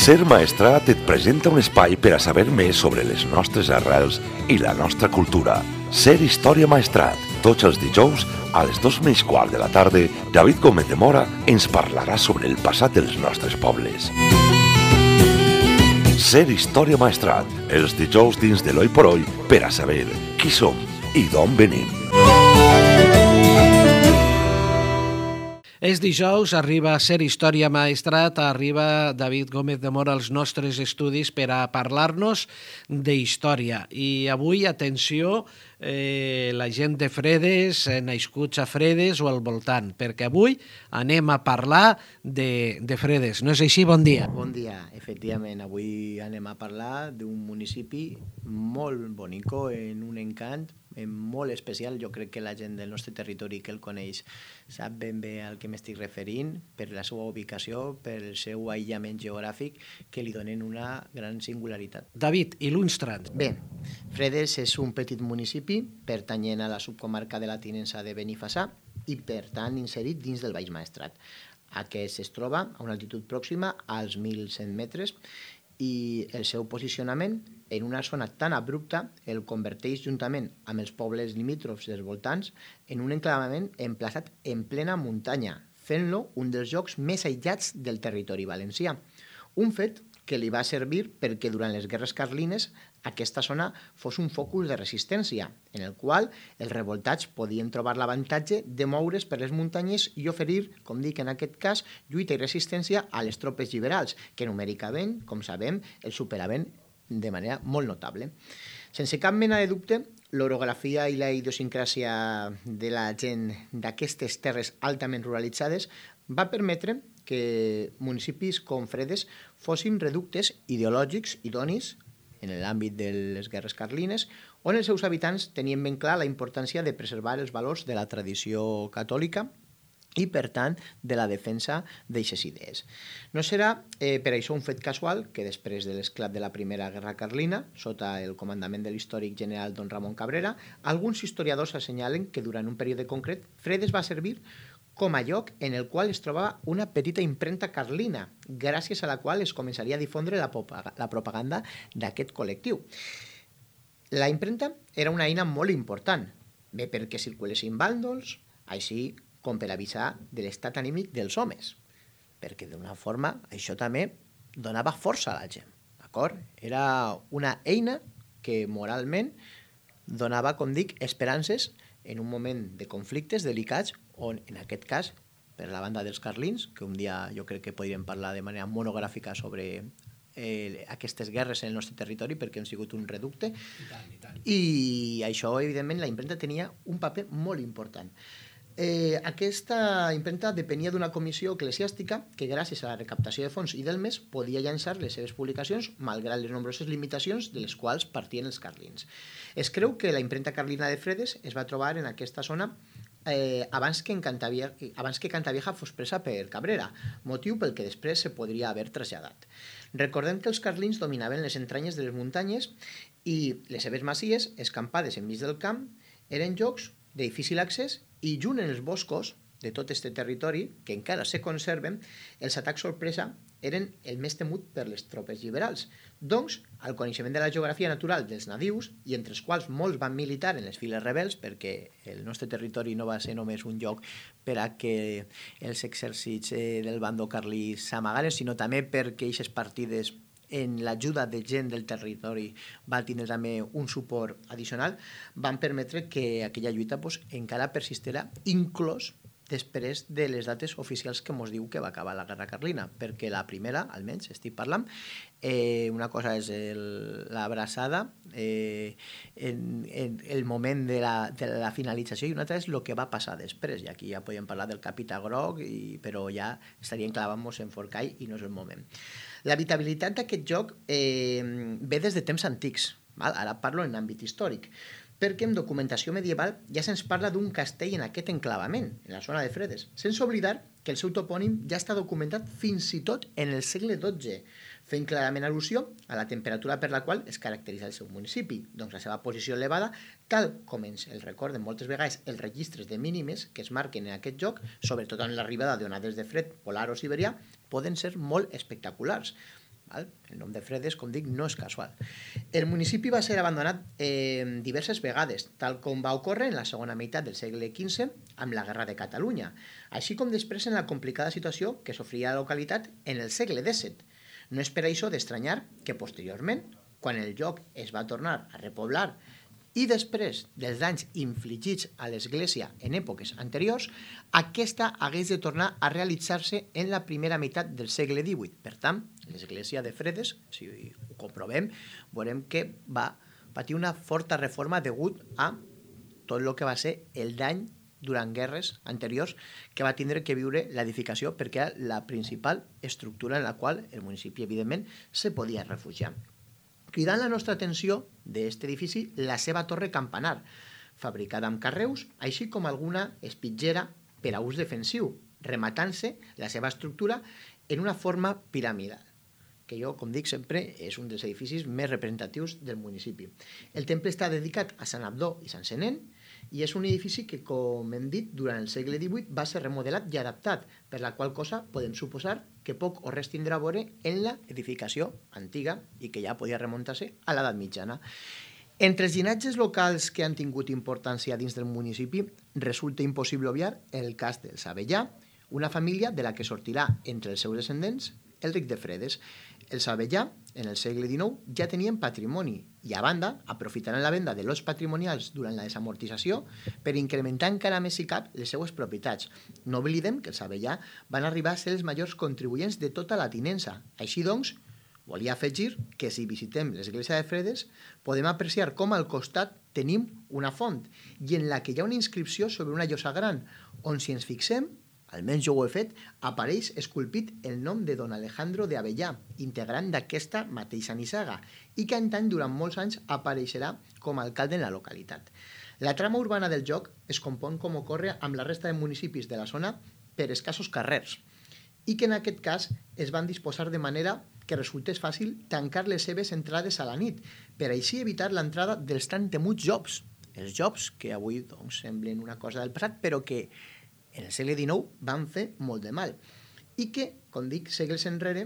Ser Maestrat et presenta un espai per a saber més sobre les nostres arrels i la nostra cultura. Ser Història Maestrat. Tots els dijous, a les 2:15 de la tarda, David Gómez de Mora ens parlarà sobre el passat dels nostres pobles. Ser Història Maestrat. Els dijous dins de l'Oi por Oi per a saber qui som i d'on venim. És dijous, arriba a Ser Història Maestrat, arriba David Gómez de Mora als nostres estudis per a parlar-nos d'història. I avui, atenció, la gent de Fredes, nascuts a Fredes o al voltant, perquè avui anem a parlar de Fredes. No és així? Bon dia. Bon dia. Efectivament, avui anem a parlar d'un municipi molt bonico, en un encant molt especial. Jo crec que la gent del nostre territori que el coneix sap ben bé al que m'estic referint, per la seva ubicació, per el seu aïllament geogràfic, que li donen una gran singularitat. David, il·lustra'ns. Bé, Fredes és un petit municipi pertanyent a la subcomarca de la Tinença de Benifassà i, per tant, inserit dins del Baix Maestrat. Aquest es troba a una altitud pròxima als 1.100 metres i el seu posicionament en una zona tan abrupta el converteix, juntament amb els pobles limítrofs dels voltants, en un enclavament emplaçat en plena muntanya, fent-lo un dels llocs més aïllats del territori valencià. Un fet que li va servir perquè durant les guerres carlines aquesta zona fos un focus de resistència, en el qual els revoltats podien trobar l'avantatge de moure's per les muntanyes i oferir, com dic en aquest cas, lluita i resistència a les tropes liberals, que numèricament, com sabem, el superaven de manera molt notable. Sense cap mena de dubte, l'orografia i la idiosincràsia de la gent d'aquestes terres altament ruralitzades va permetre que municipis com Fredes fossin reductes ideològics idonis en l'àmbit de les guerres carlines, on els seus habitants tenien ben clar la importància de preservar els valors de la tradició catòlica i, per tant, de la defensa d'aixes idees. No serà per això un fet casual que després de l'esclat de la Primera Guerra Carlina, sota el comandament de l'històric general don Ramon Cabrera, alguns historiadors assenyalen que durant un període concret Fredes va servir com a lloc en el qual es trobava una petita impremta carlina, gràcies a la qual es començaria a difondre la propaganda d'aquest col·lectiu. La impremta era una eina molt important, bé perquè circulessin bàndols, així com per avisar de l'estat anímic dels homes, perquè d'una forma això també donava força a la gent, d'acord? Era una eina que moralment donava, com dic, esperances en un moment de conflictes delicats on, en aquest cas, per la banda dels carlins, que un dia jo crec que podríem parlar de manera monogràfica sobre aquestes guerres en el nostre territori perquè han sigut un reducte. I tant. I això, evidentment, la impremta tenia un paper molt important. Aquesta impremta depenia d'una comissió eclesiàstica que, gràcies a la recaptació de fons i del mes, podia llançar les seves publicacions malgrat les nombroses limitacions de les quals partien els carlins. Es creu que la impremta carlina de Fredes es va trobar en aquesta zona abans que Cantavieja fos presa per Cabrera, motiu pel que després se podria haver traslladat. Recordem que els carlins dominaven les entranyes de les muntanyes i les seves masies, escampades enmig del camp, eren llocs de difícil accés i junt en els boscos de tot aquest territori, que encara se conserven, els atacs sorpresa eren el més temut per les tropes liberals. Doncs, el coneixement de la geografia natural dels nadius, i entre els quals molts van militar en les files rebels, perquè el nostre territori no va ser només un lloc per a que els exèrcits del bando carlí s'amagaren, sinó també perquè aquestes partides en l'ajuda de gent del territori va tindre també un suport addicional, van permetre que aquella lluita encara persistirà, inclús després de les dates oficials que ens diu que va acabar la Guerra Carlina, perquè la primera, almenys, estic parlant, una cosa és l'abraçada, el moment de la finalització, i una altra és el que va passar després, i aquí ja podem parlar del Capità Groc, però ja estaríem clavant-nos en Forcall i no és el moment. L'habitabilitat d'aquest lloc ve des de temps antics, ara parlo en àmbit històric, perquè en documentació medieval ja se'ns parla d'un castell en aquest enclavament, en la zona de Fredes, sense oblidar que el seu topònim ja està documentat fins i tot en el segle XII, fent clarament al·lusió a la temperatura per la qual es caracteritza el seu municipi, doncs la seva posició elevada, tal com ens el recorden moltes vegades els registres de mínimes que es marquen en aquest lloc, sobretot en l'arribada d'onades de fred polar o siberià, poden ser molt espectaculars. Val? El nom de Fredes, com dic, no és casual. El municipi va ser abandonat diverses vegades, tal com va ocórrer en la segona meitat del segle XV amb la Guerra de Catalunya, així com després en la complicada situació que sofria la localitat en el segle XVII. No és per això d'estranyar que posteriorment, quan el lloc es va tornar a repoblar i després dels danys infligits a l'església en èpoques anteriors, aquesta hagués de tornar a realitzar-se en la primera meitat del segle XVIII. Per tant, l'església de Fredes, si ho comprovem, veurem que va patir una forta reforma degut a tot el que va ser el dany durant guerres anteriors que va tindre que viure l'edificació perquè era la principal estructura en la qual el municipi, evidentment, se podia refugiar. Cridant la nostra atenció d'aquest edifici la seva torre campanar, fabricada amb carreus, així com alguna espitllera per a ús defensiu, rematant-se la seva estructura en una forma piramidal, que jo, com dic sempre, és un dels edificis més representatius del municipi. El temple està dedicat a Sant Abdó i Sant Senén, i és un edifici que, com hem dit, durant el segle XVIII va ser remodelat i adaptat, per la qual cosa podem suposar que poc o res tindrà a veure en l'edificació antiga i que ja podia remuntar-se a l'edat mitjana. Entre els llinatges locals que han tingut importància dins del municipi, resulta impossible obviar el cas dels Avellà, una família de la que sortirà entre els seus descendents el Ric de Fredes. Els Avellà, en el segle XIX, ja tenien patrimoni i, a banda, aprofitaran la venda de lots patrimonials durant la desamortització per incrementar encara més i cap les seues propietats. No oblidem que els Avellà van arribar a ser els majors contribuents de tota la tinença. Així doncs, volia afegir que si visitem l'església de Fredes podem apreciar com al costat tenim una font i en la que hi ha una inscripció sobre una llosa gran, on si ens fixem, almenys jo ho he fet, apareix esculpit el nom de don Alejandro de Avellà, integrant d'aquesta mateixa nissaga, i que en tant durant molts anys apareixerà com a alcalde en la localitat. La trama urbana del lloc es compon com ocorre amb la resta de municipis de la zona per escassos carrers, i que en aquest cas es van disposar de manera que resultés fàcil tancar les seves entrades a la nit, per així evitar l'entrada dels tan temuts jocs. Els jocs que avui doncs, semblen una cosa del passat, però que en el segle XIX van fer molt de mal i que, com dic, segles enrere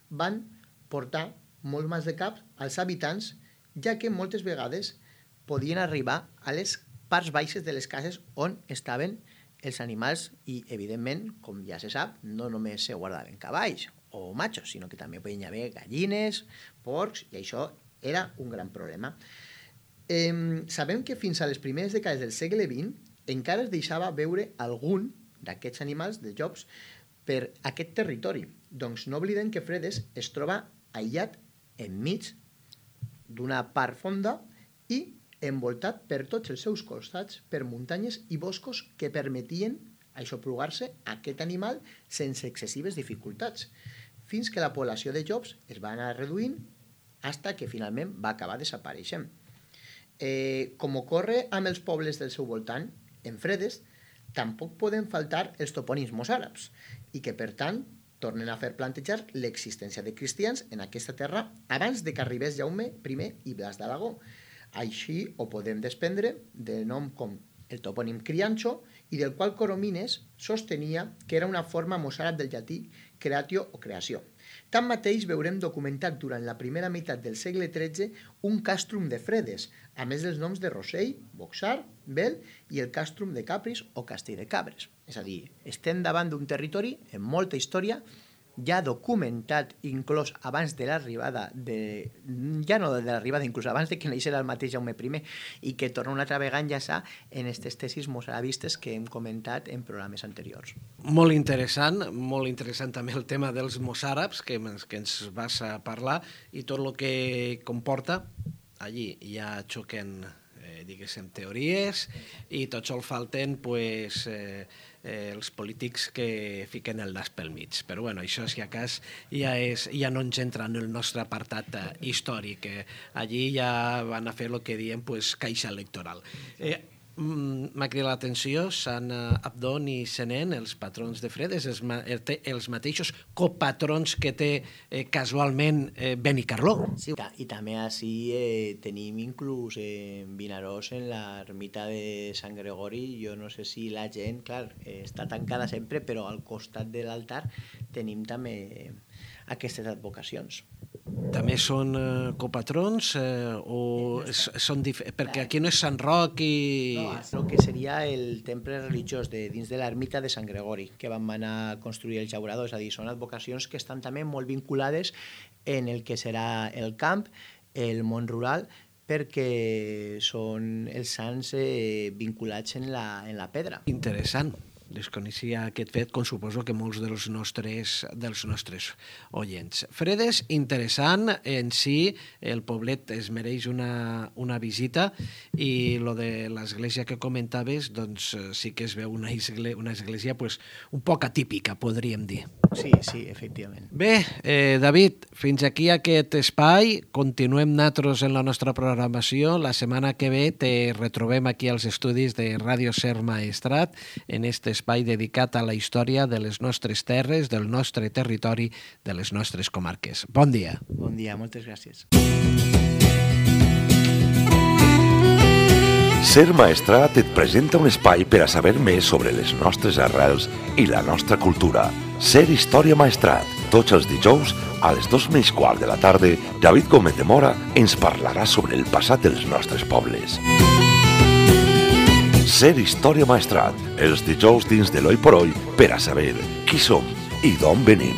van portar molt mal de cap als habitants, ja que moltes vegades podien arribar a les parts baixes de les cases on estaven els animals i, evidentment, com ja se sap, no només se guardaven cavalls o matxos, sinó que també podien haver gallines, porcs, i això era un gran problema. Sabem que fins a les primeres dècades del segle XX encara es deixava veure algun d'aquests animals, de llops, per aquest territori. Doncs no oblidem que Fredes es troba aïllat enmig d'una part fonda i envoltat per tots els seus costats per muntanyes i boscos que permetien aixoplugar-se a aquest animal sense excessives dificultats, fins que la població de llops es va anar reduint fins que finalment va acabar desapareixent. Com ocorre amb els pobles del seu voltant, en Fredes tampoc poden faltar els topònims mossàrabs i que, per tant, tornen a fer plantejar l'existència de cristians en aquesta terra abans de que arribés Jaume I i Blas d'Aragó. Així ho podem desprendre del nom com el topònim Criancho i del qual Coromines sostenia que era una forma mossàrab del llatí creatio o creació. Tanmateix veurem documentat durant la primera meitat del segle XIII un càstrum de Fredes, a més dels noms de Rossell, Boxar, Bel i el càstrum de Capris o Castell de Cabres. És a dir, estem davant d'un territori amb molta història, ja documentat inclús abans de l'arribada ja no de l'arribada, inclús abans de que naixera el mateix Jaume I, i que torna una altra vegada a enllaçar en aquestes tesis mossarabistes que hem comentat en programes anteriors. Molt interessant també el tema dels mossàrabs que ens vas a parlar i tot el que comporta. Allí ja xoquen diguéssim, teories i tot sol falten els polítics que fiquen el nas pel mig. Però bueno, això si a cas ja no ens entra en el nostre apartat històric. Allí ja van a fer el que diem caixa electoral. m'ha cridat l'atenció, Sant Abdon i Senén, els patrons de Fredes, els mateixos copatrons que té casualment Benicarló. Sí, i també així tenim inclús Vinaròs en l'ermita de Sant Gregori. Jo no sé si la gent, clar, està tancada sempre, però al costat de l'altar tenim també aquestes advocacions. També són copatrons o són perquè aquí no és Sant Roc i... No, el que seria el temple religiós dins de l'ermita de Sant Gregori, que van anar a construir el llaurador, és a dir, són advocacions que estan també molt vinculades en el que serà el camp, el món rural, perquè són els sants vinculats en la pedra. Interessant. Desconeixia aquest fet, com suposo que molts dels nostres oients. Fredes, interessant en si, el poblet es mereix una visita i lo de l'església que comentaves, doncs sí que es veu una església pues, un poc atípica, podríem dir. Sí, efectivament. Bé, David, fins aquí aquest espai. Continuem nosaltres en la nostra programació. La setmana que ve te retrobem aquí als estudis de Ràdio Ser Maestrat en este espai dedicat a la història de les nostres terres, del nostre territori, de les nostres comarques. Bon dia. Bon dia, moltes gràcies. Ser Maestrat et presenta un espai per a saber més sobre les nostres arrels i la nostra cultura. Ser Història Maestrat. Tots els dijous, a les 2:15 de la tarda, David Gómez de Mora ens parlarà sobre el passat dels nostres pobles. Ser Història Maestrat, els dijous dins de l'Oi por Oi per a saber qui som i d'on venim.